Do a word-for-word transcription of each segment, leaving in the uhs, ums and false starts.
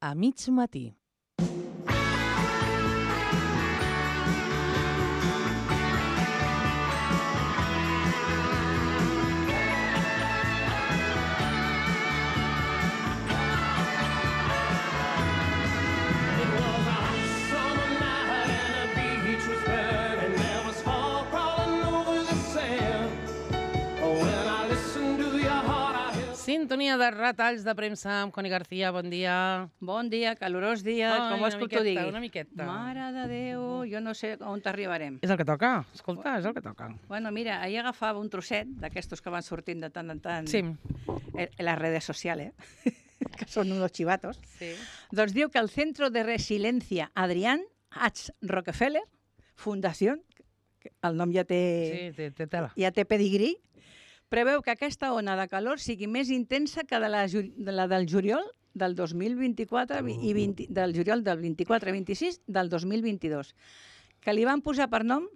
a mig matí. Sintonia de retalls de premsa amb Connie García, bon dia. Bon dia, calorós dia, Ai, com vols que t'ho digui? Una miqueta, Mare de Déu, jo no sé on t'arribarem. És el que toca, escolta, és el que toca. Bueno, mira, ahir agafava un trosset d'aquestos que van sortint de tant en tant Sí. en les redes sociales, que són unos chivatos. Sí. Doncs diu que el Centro de Resiliencia Adrián H. Rockefeller, Fundació, el nom ja té, Sí, té, té tela. ja té pedigrí, preveu que aquesta ona de calor sigui més intensa que de la, de la del juliol del dos mil vint-i-quatre i vint, del juliol del vint-i-quatre vint-i-sis del dos mil vint-i-dos, que li van posar per nom,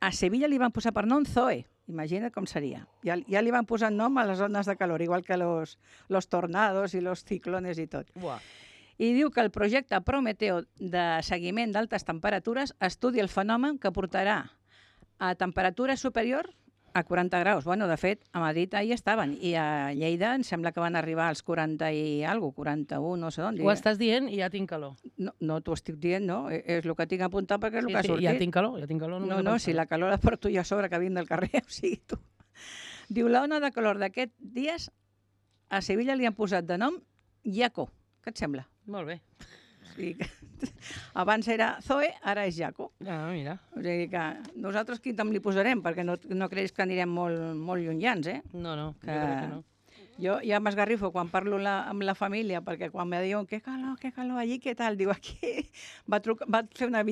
a Sevilla li van posar per nom Zoe. Imagina't com seria. Ja, ja li van posar nom a les ones de calor, igual que los, los tornados i los ciclones i tot. Buah. I diu que el projecte Prometeo de seguiment d'altes temperatures estudia el fenomen que portarà a temperatura superior a quaranta graus. Bueno, de fet, a Madrid ahir estaven, i a Lleida em sembla que van arribar als quaranta i alguna cosa, quaranta-u, no sé d'on. Ho estàs dient i ja tinc calor. No, no t'ho estic dient, no. És el que tinc apuntat perquè és el Sí, que ha sí, sortit. ja tinc calor, ja tinc calor. No, no, si la calor la porto jo a sobre que vinc del carrer, o sigui, tu. Diu, la ona de calor d'aquests dies a Sevilla li han posat de nom Jaco. Què et sembla? Molt bé. O sigui que abans era Zoe, ara és Jaco. Ah, mira. O sigui que nosaltres quin nom li posarem, perquè no, no creus que anirem molt, molt llunyans, eh? No, no, Que... jo crec que no. Jo ja m'esgarrifo quan parlo la, amb la família, perquè quan me diuen que calor, que calor, allí, què tal? Diu, aquí va, truc, va fer una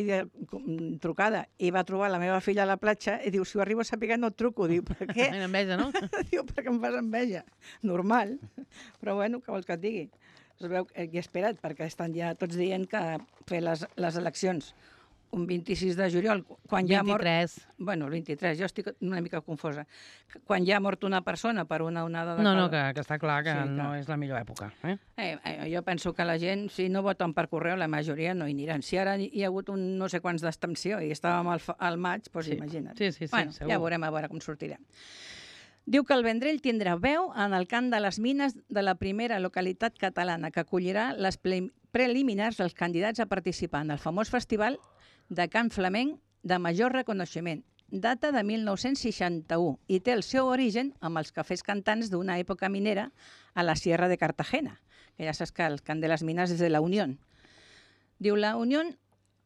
videotrucada i va trobar la meva filla a la platja i diu, si ho arribo a saber no et truco. Diu, per què? Mira, enveja, no? Diu, perquè em fas enveja. Normal. Però bueno, què vols que et digui? Es veu que he esperat, perquè estan ja tots dient que fer les, les eleccions un vint-i-sis de juliol, quan ja ha mort... vint-i-tres. Bueno, el vint-i-tres, jo estic una mica confosa. Quan ja ha mort una persona per una onada de No, calor... no, que, que està clar que Sí, no clar. és la millor època. Eh? Eh, eh, jo penso que la gent, si no voten per correu, la majoria no hi aniran. Si ara hi ha hagut un no sé quants d'abstenció i estàvem al, fa- al maig, doncs Sí. imagina't. Sí, sí, sí, bueno, segur. ja veurem a veure com sortirem. Diu que el Vendrell tindrà veu en el cant de les mines de la primera localitat catalana que acollirà les ple- preliminars dels candidats a participar en el famós festival de cant flamenc de major reconeixement, data de mil nou-cents seixanta-u, i té el seu origen amb els cafès cantants d'una època minera a la Sierra de Cartagena, que ja saps que el cant de les mines és de la Unión. Diu, la Unión,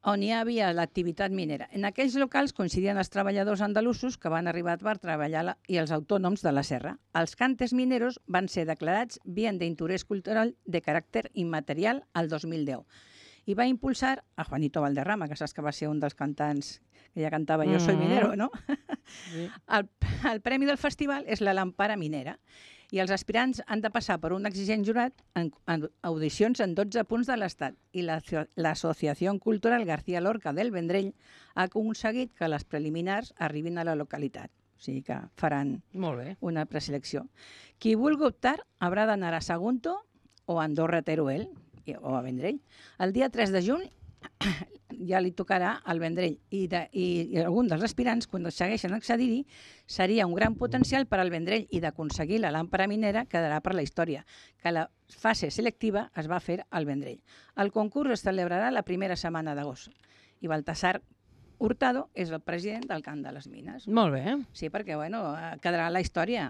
on hi havia l'activitat minera. En aquells locals coincidien els treballadors andalusos que van arribar per treballar la, i els autònoms de la serra. Els cantes mineros van ser declarats bien d'interès cultural de caràcter immaterial al dos mil deu. I va impulsar a Juanito Valderrama, que saps que va ser un dels cantants que ja cantava Jo soy minero, no? Sí. El, el premi del festival és la Lampara Minera i els aspirants han de passar per un exigent jurat en, en audicions en dotze punts de l'Estat i l'Associació Cultural García Lorca del Vendrell ha aconseguit que les preliminars arribin a la localitat. O sigui que faran Molt bé. una preselecció. Qui vulgui optar haurà d'anar a Sagunto o a Andorra Teruel o a Vendrell. El dia tres de juny ja li tocarà al Vendrell i, de, i, i algun dels aspirants, quan segueixen accedir-hi, seria un gran potencial per al Vendrell i d'aconseguir la làmpara minera quedarà per la història, que la fase selectiva es va fer al Vendrell. El concurs es celebrarà la primera setmana d'agost i Baltasar Hurtado és el president del Cant de les Mines. Molt bé. Sí, perquè bueno, quedarà la història.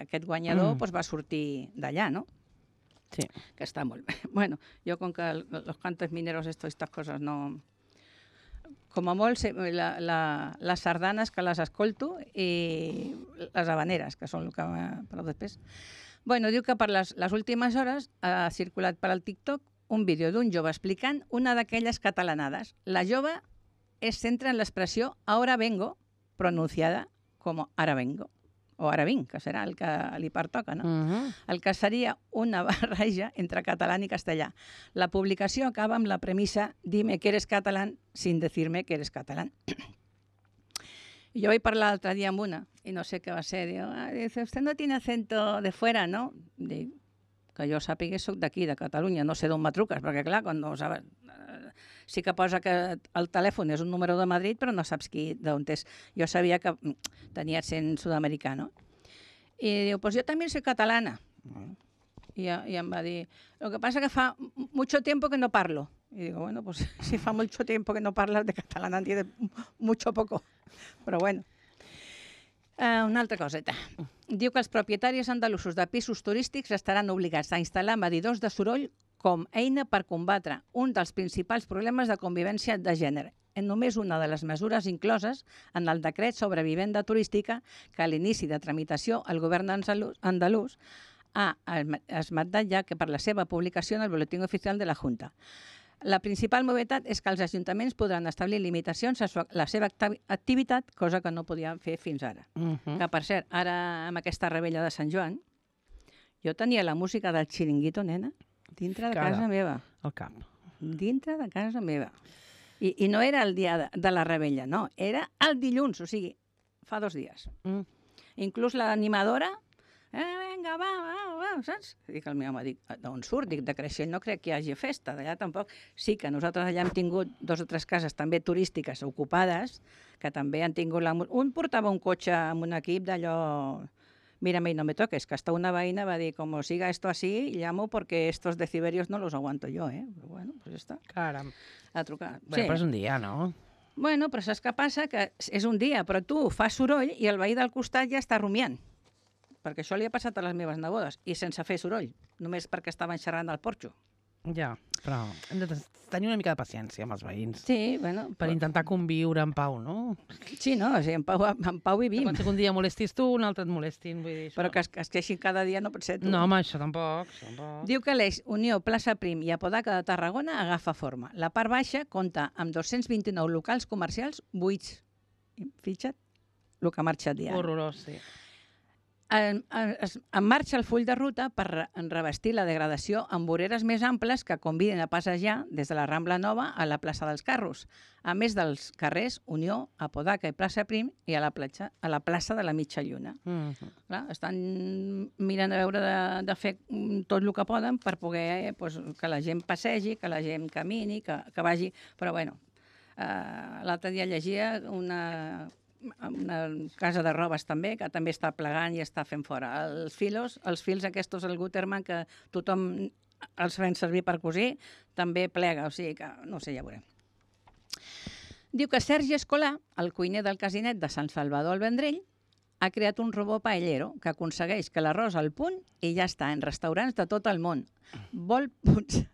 Aquest guanyador Mm. doncs, va sortir d'allà, no? Sí. Que està molt bé. Bueno, jo com que los cantes mineros, esto, estas cosas no... Com a molt, se- la, la, les sardanes que les escolto i les habaneres, que són el que... Però després... Bueno, diu que per les, les últimes hores ha circulat per al TikTok un vídeo d'un jove explicant una d'aquelles catalanades. La jove es centra en l'expressió ahora vengo, pronunciada com ara vengo. O ara vinc, que serà el que li pertoca, no? Uh -huh. El que seria una barreja entre català i castellà. La publicació acaba amb la premissa «Dime que eres catalán sin decirme que eres catalán». I jo vaig parlar l'altre dia amb una, i no sé què va ser, diu, ah, dice, usted no tiene acento de fuera, ¿no? Dic, que jo sàpiga soc d'aquí, de Catalunya, no sé d'on me truques, perquè clar, quan no saps... Sí que posa que el telèfon és un número de Madrid, però no saps qui, d'on és. Jo sabia que tenia accent sud-americà, no? I diu, pues yo también soy catalana. I, I em va dir, lo que pasa que fa mucho tiempo que no parlo. Y digo, bueno, pues si fa mucho tiempo que no parlas de catalán, entiendes mucho poco. Però bueno. Uh, una altra coseta. Diu que els propietaris andalusos de pisos turístics estaran obligats a instal·lar medidors de soroll com eina per combatre un dels principals problemes de convivència de gènere. En només una de les mesures incloses en el decret sobre vivenda turística que a l'inici de tramitació el govern andalús ha esmentat ja que per la seva publicació en el Boletín Oficial de la Junta. La principal novetat és que els ajuntaments podran establir limitacions a la seva activitat, cosa que no podien fer fins ara. Uh -huh. Que, per cert, ara amb aquesta rebella de Sant Joan, jo tenia la música del xiringuito, nena, dintre de Cara. casa meva. Al cap. Dintre de casa meva. I, i no era el dia de, de la rebella, no, era el dilluns, o sigui, fa dos dies. Mm. Inclús l'animadora, eh, vinga, va, va, va, saps? Dic al meu home, dic, d'on surt? Dic, de Creixell no crec que hi hagi festa, d'allà tampoc. Sí que nosaltres allà hem tingut dos o tres cases també turístiques ocupades, que també han tingut... La... Un portava un cotxe amb un equip d'allò... Mírame y no me toques, que hasta una veïna va dir, como siga esto así, llamo porque estos deciberios no los aguanto yo, eh? Però bueno, pues ja està. Caram. A trucar. Bueno, però és un dia, no? Bueno, però saps què passa? Que és un dia, però tu fas soroll i el veí del costat ja està rumiant. Perquè això li ha passat a les meves nebodes, i sense fer soroll, només perquè estaven xerrant al porxo. Ja, però hem de tenir una mica de paciència amb els veïns. Sí, bueno... Per però... intentar conviure en pau, no? Sí, no, o sigui, en pau, en pau vivim. Quan un dia molestis tu, un altre et molestin, vull dir això. Però que es, que es queixin cada dia no pot ser tu. No, home, això tampoc, això tampoc. Diu que l'eix Unió Plaça Prim i Apodaca de Tarragona agafa forma. La part baixa compta amb dos-cents vint-i-nou locals comercials buits. Fixa't el que ha marxat ja. Horrorós, sí. En, en, en marxa el full de ruta per revestir la degradació amb voreres més amples que conviden a passejar des de la Rambla Nova a la plaça dels Carros, a més dels carrers Unió, Apodaca i Plaça Prim i a la, platja, a la plaça de la Mitja Lluna. Mm -hmm. Clar, estan mirant a veure de, de fer tot el que poden per poder eh, pues, que la gent passegi, que la gent camini, que, que vagi... Però bueno, eh, l'altre dia llegia una... una casa de robes també, que també està plegant i està fent fora. Els filos, els fils aquests, el Gutermann, que tothom els fem servir per cosir, també plega, o sigui que, no sé, ja veurem. Diu que Sergi Escolà, el cuiner del casinet de Sant Salvador al Vendrell, ha creat un robot paellero que aconsegueix que l'arròs al punt i ja està en restaurants de tot el món. Vol potser,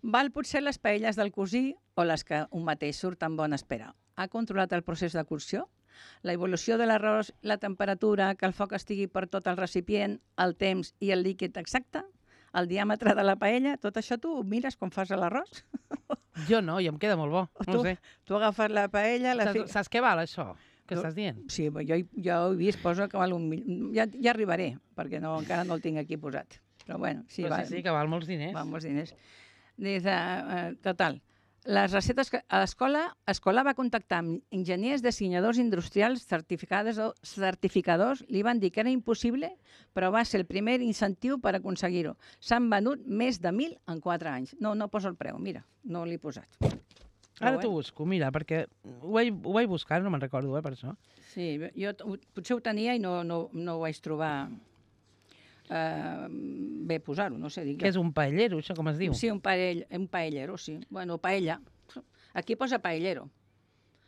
val potser les paelles del cosí o les que un mateix surt en bona espera. Ha controlat el procés de cocció, la evolució de l'arròs, la temperatura, que el foc estigui per tot el recipient, el temps i el líquid exacte, el diàmetre de la paella, tot això tu ho mires quan fas l'arròs? Jo no, i em queda molt bo, no tu, sé. Tu agafes la paella... La Saps, fi... saps què val això, que tu... estàs dient? Sí, jo, jo ho he vist, posa que val un milió. Ja, ja arribaré, perquè no, encara no el tinc aquí posat. Però bueno, sí, Però val, sí, sí, que val molts diners. val molts diners. Dice, uh, total, les receptes que a l'escola, l'escola va contactar amb enginyers dissenyadors industrials certificadors, certificadors, li van dir que era impossible, però va ser el primer incentiu per aconseguir-ho. S'han venut més de mil en quatre anys. No, no poso el preu, mira, no l'he posat. Ara t'ho busco, mira, perquè ho vaig, ho vaig buscar, no me'n recordo, eh, per això. Sí, jo potser ho tenia i no, no, no ho vaig trobar eh, bé posar-ho, no sé. Dic, Què és un paellero, això com es diu? Sí, un, paell, un paellero, sí. Bueno, paella. Aquí posa paellero.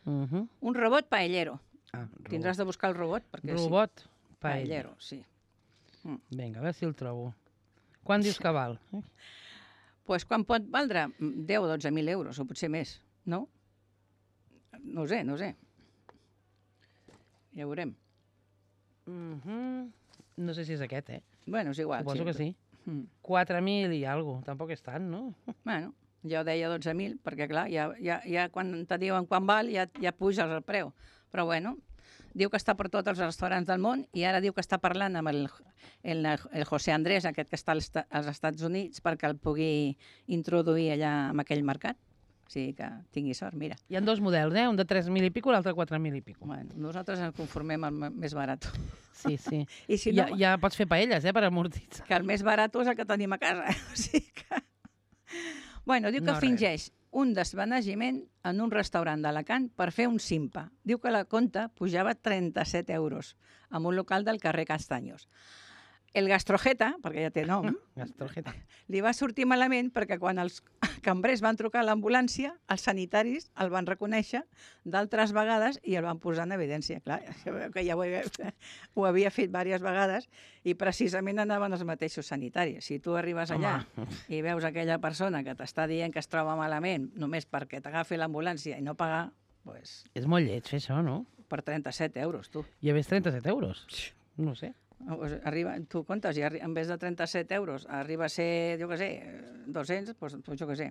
Uh -huh. Un robot paellero. Ah, Tindràs de buscar el robot. Perquè robot sí. paellero. Paellero, sí. Mm. Vinga, a veure si el trobo. Quan dius que val? Doncs pues quan pot valdre? deu o dotze mil euros, o potser més, no? No ho sé, no ho sé. Ja ho veurem. Mm -hmm. No sé si és aquest, eh? Bueno, és igual. Suposo sí. que sí. Mm. quatre mil i alguna cosa, tampoc és tant, no? Bueno, jo deia dotze mil, perquè clar, ja, ja, ja quan te diuen quan val, ja, ja puges el preu. Però bueno, diu que està per tots els restaurants del món i ara diu que està parlant amb el, el, el José Andrés, aquest que està als, als Estats Units, perquè el pugui introduir allà en aquell mercat. O sigui que tingui sort, mira. Hi ha dos models, eh? Un de tres mil i pico, l'altre quatre mil i pico. Bueno, nosaltres ens conformem amb el més barat. Sí, sí. I si ja, no, ja pots fer paelles, eh, per amortitzar. que el més barat és el que tenim a casa. O sigui que... Bueno, diu que No, fingeix un desvanegiment en un restaurant d'Alacant per fer un simpa. Diu que la compta pujava trenta-set euros en un local del carrer Castaños. El gastrojeta, perquè ja té nom, Gastrojeta. li va sortir malament perquè quan els cambrers van trucar a l'ambulància, els sanitaris el van reconèixer d'altres vegades i el van posar en evidència. Clar, que ja ho havia, ho havia fet diverses vegades i precisament anaven els mateixos sanitaris. Si tu arribes allà Home. i veus aquella persona que t'està dient que es troba malament només perquè t'agafi l'ambulància i no pagar, doncs, És molt lleig fer això, no? per trenta-set euros, tu. I a més trenta-set euros. No sé. Arriba, tu comptes, i en vez de trenta-set euros arriba a ser, jo què sé, dos-cents, doncs, doncs jo què sé.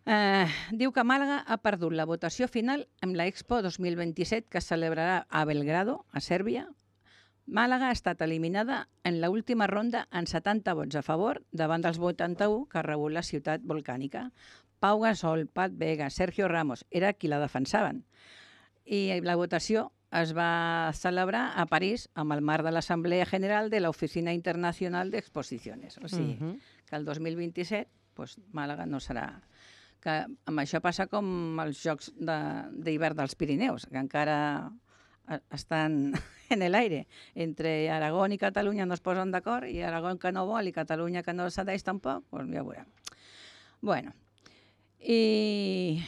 Eh, diu que Màlaga ha perdut la votació final en la Expo dos mil vint-i-set que es celebrarà a Belgrado, a Sèrbia. Màlaga ha estat eliminada en l'última ronda en setanta vots a favor davant dels vuitanta-u que ha rebut la ciutat volcànica. Pau Gasol, Pat Vega, Sergio Ramos era qui la defensaven. I la votació es va celebrar a París amb el marc de l'Assemblea General de l'Oficina Internacional d'Exposiciones. O sigui, Mhm. que el dos mil vint-i-set doncs, Màlaga no serà... Que amb això passa com els Jocs d'hivern de, dels Pirineus, que encara estan en l'aire. Entre Aragó i Catalunya no es posen d'acord, i Aragó que no vol i Catalunya que no cedeix tampoc, doncs ja ho veurem. Bueno, i...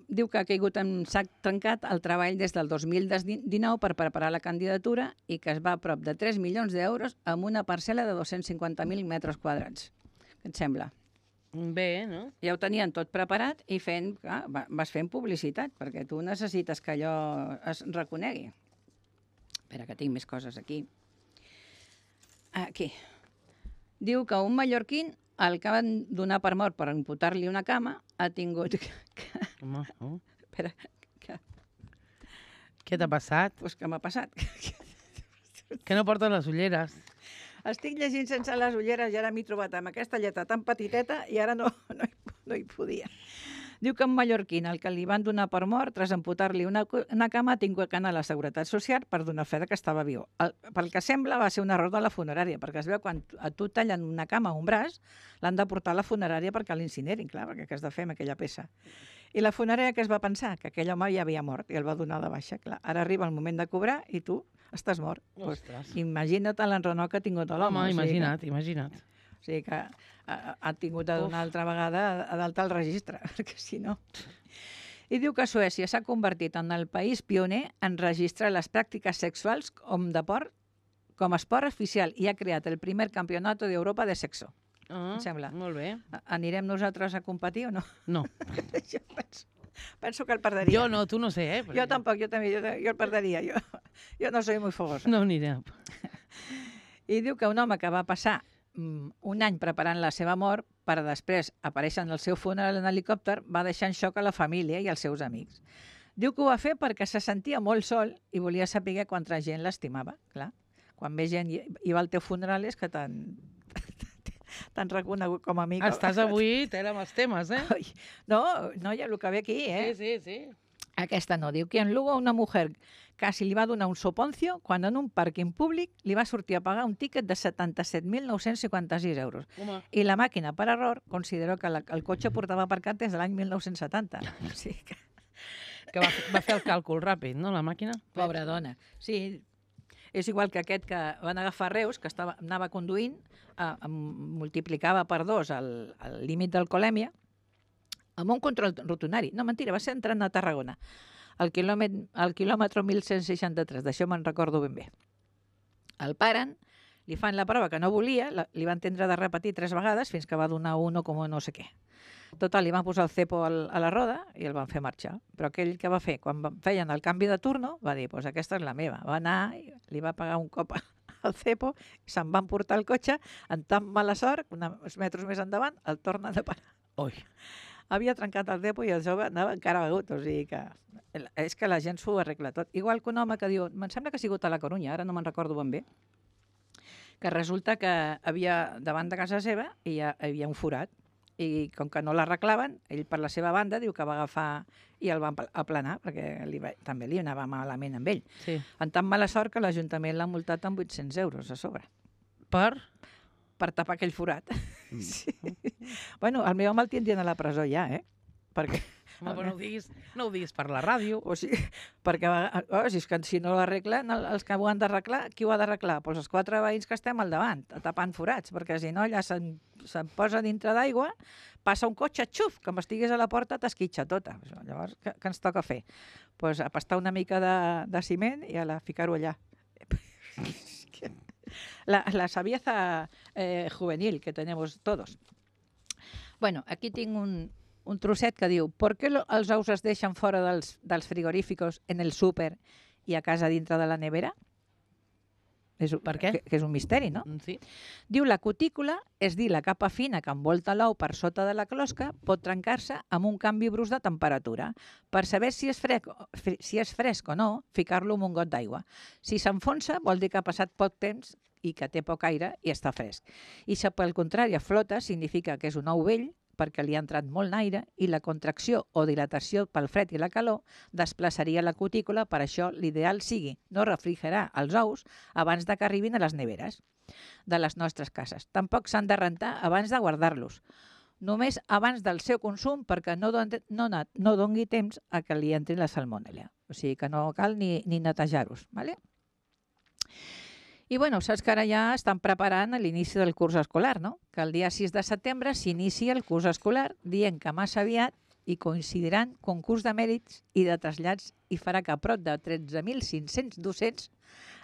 diu que ha caigut en sac trencat el treball des del dos mil dinou per preparar la candidatura i que es va a prop de tres milions d'euros amb una parcel·la de dos-cents cinquanta mil metres quadrats. Què et sembla? Bé, no? Ja ho tenien tot preparat i fent, clar, vas fent publicitat, perquè tu necessites que allò es reconegui. Espera, que tinc més coses aquí. Aquí. Diu que un mallorquín, el que van donar per mort per imputar-li una cama, ha tingut... Home, oh. Espera, que... Què t'ha passat? Pues què m'ha passat? Que no porten les ulleres. Estic llegint sense les ulleres i ara m'he trobat amb aquesta lletra tan petiteta i ara no, no, hi, no hi podia. Diu que un mallorquín, el que li van donar per mort, tras amputar-li una, una cama, ha tingut que anar a la Seguretat Social per donar fe que estava viu. El, pel que sembla va ser un error de la funerària, perquè es veu quan a tu tallen una cama o un braç, l'han de portar a la funerària perquè l'incinerin, clar, perquè què has de fer amb aquella peça. I la funerària què es va pensar? Que aquell home ja havia mort i el va donar de baixa. Clar, ara arriba el moment de cobrar i tu estàs mort. Pues, imagina't l'enrenou que ha tingut l'home. Home, imagina't, o sigui que, imagina't. O sigui que ha, ha tingut de donar altra vegada a d'alta el registre, perquè si no... I diu que Suècia s'ha convertit en el país pioner en registrar les pràctiques sexuals com, deport, com a esport oficial i ha creat el primer campionat d'Europa de sexo. Ah, Em sembla. Molt bé. Anirem nosaltres a competir o no? No. Jo penso, penso que el perdria. Jo no, tu no sé, eh? Jo tampoc, jo també, jo, jo el perdria. Jo, jo no soy muy fogosa. No anirem. I diu que un home que va passar mm, un any preparant la seva mort per després aparèixer en el seu funeral en helicòpter va deixar en xoc a la família i als seus amics. Diu que ho va fer perquè se sentia molt sol i volia saber quanta gent l'estimava. Clar, quan ve gent i i va al teu funeral és que t'han t'han reconegut com a amic. Estàs avui tela amb els temes, eh? Ai, no, no, ja el que ve aquí, eh? Sí, sí, sí. Aquesta no. Diu que en Lugo una mujer quasi li va donar un soponcio quan en un pàrquing públic li va sortir a pagar un tíquet de setanta-set mil nou-cents cinquanta-sis euros. Home. I la màquina, per error, consideró que la, el cotxe portava aparcat des de l'any mil nou-cents setanta. O sigui que... Que va, va fer el càlcul ràpid, no, la màquina? Pobra dona. Sí, és igual que aquest que van agafar Reus, que estava, anava conduint, eh, multiplicava per dos el, el límit d'alcoholèmia, amb un control rotonari. No, mentira, va ser entrant a Tarragona. Al quilòmetre, al quilòmetre mil cent seixanta-tres, d'això me'n recordo ben bé. El paren, li fan la prova que no volia, la, li van tindre de repetir tres vegades fins que va donar uno com no sé què. Total, li van posar el cepo al, a la roda i el van fer marxar. Però aquell que va fer, quan feien el canvi de turno, va dir, pues aquesta és la meva. Va anar, li va pagar un cop al cepo, i se'n van portar el cotxe, amb tan mala sort, uns metres més endavant, el tornen a parar. Ui. Havia trencat el cepo i el jove anava encara begut, o sigui que és que la gent s'ho arregla tot. Igual que un home que diu, em sembla que ha sigut a la Corunya, ara no me'n recordo ben bé, que resulta que havia davant de casa seva hi ha, hi havia un forat i com que no l'arreglaven, ell per la seva banda diu que va agafar i el va aplanar, perquè li va, també li anava malament amb ell. Sí. En tan mala sort que l'Ajuntament l'ha multat amb vuit-cents euros a sobre. Per? Per tapar aquell forat. Mm. Sí. Bueno, el meu home el tindrien a la presó ja, eh? Perquè... Home, però no ho diguis, no ho diguis per la ràdio. O sigui, perquè oh, si, és que, si no l'arreglen, els que ho han d'arreglar, qui ho ha d'arreglar? Pues els quatre veïns que estem al davant, tapant forats, perquè si no allà se'n se posa dintre d'aigua, passa un cotxe, xuf, que m'estigués a la porta t'esquitxa tota. Llavors, què, què ens toca fer? Pues apastar una mica de, de ciment i a la ficar-ho allà. La, la savieza eh, juvenil que tenemos todos. Bueno, aquí tinc un, un trosset que diu ¿por qué els ous es deixen fora dels, dels frigoríficos en el súper i a casa dintre de la nevera? És, per què? Que, que és un misteri, no? Sí. Diu la cutícula, és dir, la capa fina que envolta l'ou per sota de la closca, pot trencar-se amb un canvi brusc de temperatura. Per saber si és fresc, si és fresc o no, ficar-lo en un got d'aigua. Si s'enfonsa, vol dir que ha passat poc temps i que té poc aire i està fresc. I si pel contrari flota, significa que és un ou vell, perquè li ha entrat molt aire i la contracció o dilatació pel fred i la calor desplaçaria la cutícula, per això l'ideal sigui no refrigerar els ous abans de que arribin a les neveres de les nostres cases. Tampoc s'han de rentar abans de guardar-los, només abans del seu consum perquè no, don, no, no dongui temps a que li entri la salmonella. O sigui que no cal ni, ni netejar-los. ¿Vale? I bueno, saps que ara ja estan preparant l'inici del curs escolar, no? Que el dia sis de setembre s'inicia el curs escolar, dient que massa aviat hi coincidiran concurs de mèrits i de trasllats i farà que prop de tretze mil cinc-cents docents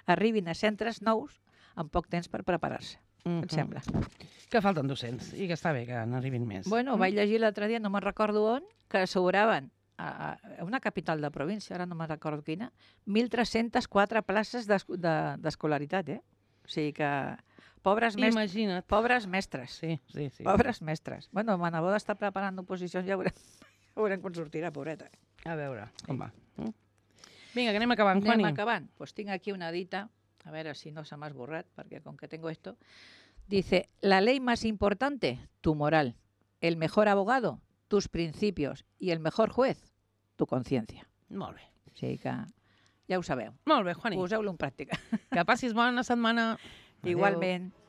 arribin a centres nous en poc temps per preparar-se. Mm-hmm. Et sembla? Que falten docents i que està bé que n'arribin més. Bueno, mm. vaig llegir l'altre dia, no me'n recordo on, que asseguraven a una capital de província, ara no me'n recordo quina, mil tres-cents quatre places d'escolaritat, eh? O sigui que... Pobres, mestres, Imagina't. pobres mestres. Sí, sí, sí. Pobres mestres. Bueno, ma neboda està preparant oposicions, ja veurem, ja veurem com sortirà, pobreta. A veure, com va. Vinga, que anem acabant, Juani. Anem acabant. Pues tinc aquí una dita, a veure si no se m'ha esborrat, perquè com que tengo esto, dice, la ley más importante, tu moral. El mejor abogado, tus principios, i el mejor juez, tu conciencia. Molt bé. O sigui que ja ho sabeu. Molt bé, Juani. Poseu-lo en pràctica. Que passis bona setmana. Igualment.